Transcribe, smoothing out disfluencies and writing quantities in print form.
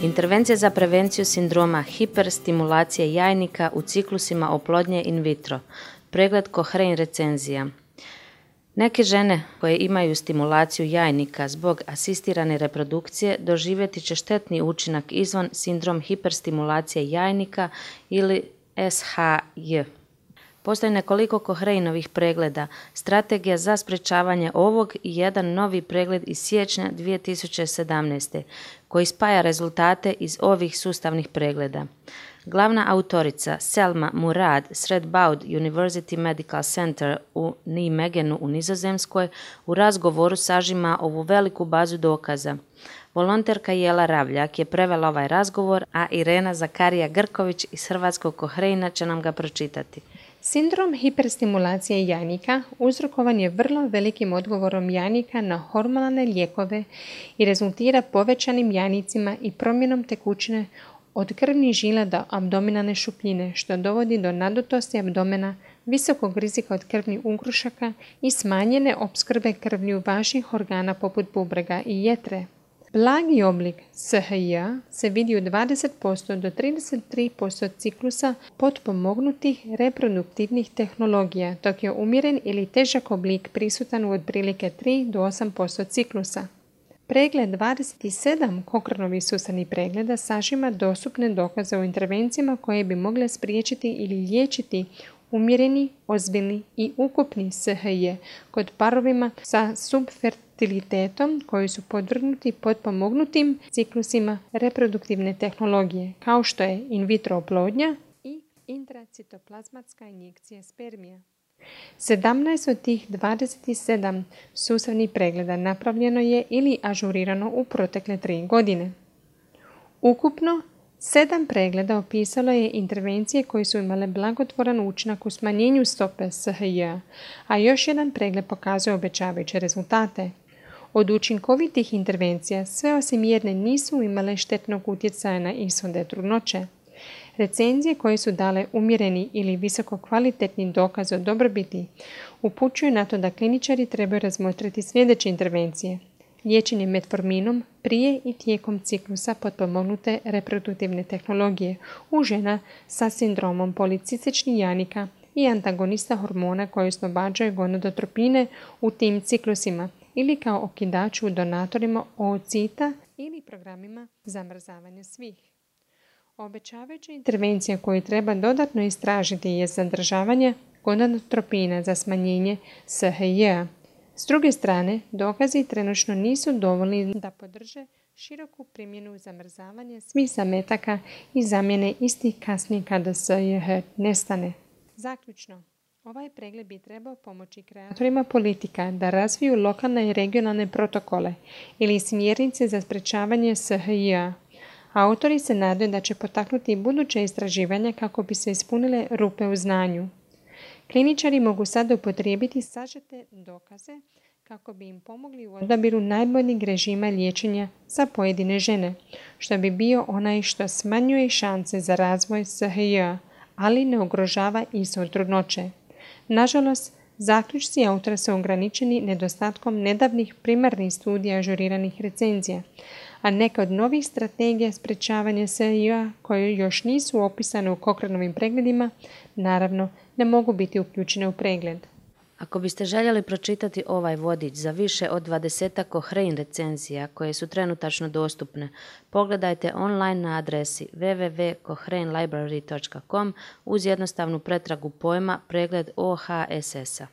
Intervencija za prevenciju sindroma hiperstimulacije jajnika u ciklusima oplodnje in vitro. Pregled Cochrane recenzija. Neke žene koje imaju stimulaciju jajnika zbog asistirane reprodukcije doživjeti će štetni učinak izvan sindrom hiperstimulacije jajnika ili SHJ. Postoji nekoliko Cochraneovih pregleda, strategija za sprečavanje ovog i jedan novi pregled iz siječnja 2017. koji spaja rezultate iz ovih sustavnih pregleda. Glavna autorica Selma Murad s Radboud University Medical Center u Nijmegenu u Nizozemskoj u razgovoru sažima ovu veliku bazu dokaza. Volonterka Jela Ravljak je prevela ovaj razgovor, a Irena Zakarija Grković iz Hrvatskog Cochrana će nam ga pročitati. Sindrom hiperstimulacije jajnika uzrokovan je vrlo velikim odgovorom jajnika na hormonalne lijekove i rezultira povećanim jajnicima i promjenom tekućine od krvnih žila do abdominalne šupljine, što dovodi do nadutosti abdomena, visokog rizika od krvnih ugrušaka i smanjene opskrbe krvlju važnih organa poput bubrega i jetre. Blagi oblik SHJ se vidi u 20% do 33% ciklusa potpomognutih reproduktivnih tehnologija, dok je umjeren ili težak oblik prisutan u otprilike 3 do 8% ciklusa. Pregled 27 Cochraneovih sustavnih pregleda sažima dostupne dokaze o intervencijama koje bi mogle spriječiti ili liječiti umjereni, ozbiljni i ukupni SHJ kod parovima sa subfertilitetom koji su podvrgnuti potpomognutim ciklusima reproduktivne tehnologije, kao što je in vitro oplodnja i intracitoplazmatska injekcija spermija. 17 od tih 27 sustavnih pregleda napravljeno je ili ažurirano u protekle 3 godine. Ukupno 7 pregleda opisalo je intervencije koje su imale blagotvoran učinak u smanjenju stope SHJ, a još jedan pregled pokazuje obećavajuće rezultate. Od učinkovitih intervencija sve osim jedne nisu imale štetnog utjecaja na ishode trudnoće. Recenzije koje su dale umjereni ili visoko kvalitetni dokaz o dobrobiti upućuju na to da kliničari trebaju razmotriti sljedeće intervencije. Liječenje metforminom prije i tijekom ciklusa potpomognute reproduktivne tehnologije u žena sa sindromom policističnih jajnika i antagonista hormona koji oslobađaju gonadotropine u tim ciklusima ili kao okidač u donatorima oocita ili programima zamrzavanja svih. Obećavajuća intervencija koju treba dodatno istražiti je zadržavanje gonadotropina za smanjenje SHJ-a. S druge strane, dokazi trenutno nisu dovoljni da podrže široku primjenu zamrzavanja svih zametaka i zamjene istih kasnije kada SHJ nestane. Zaključno, ovaj pregled bi trebao pomoći kreatorima politika da razviju lokalne i regionalne protokole ili smjernice za sprečavanje SHJ-a. Autori se nadaju da će potaknuti buduće istraživanja kako bi se ispunile rupe u znanju. Kliničari mogu sada upotrijebiti sažete dokaze kako bi im pomogli u odabiru najboljeg režima liječenja za pojedine žene, što bi bio onaj što smanjuje šanse za razvoj SHJ-a, ali ne ugrožava ishod trudnoće. Nažalost, zaključci autora su ograničeni nedostatkom nedavnih primarnih studija ažuriranih recenzija, a neke od novih strategija sprečavanja SHJ-a koje još nisu opisane u Cochraneovim pregledima, naravno ne mogu biti uključene u pregled. Ako biste željeli pročitati ovaj vodič za više od 20 Cochrane recenzija koje su trenutačno dostupne, pogledajte online na adresi www.cochranelibrary.com uz jednostavnu pretragu pojma pregled OHSS-a.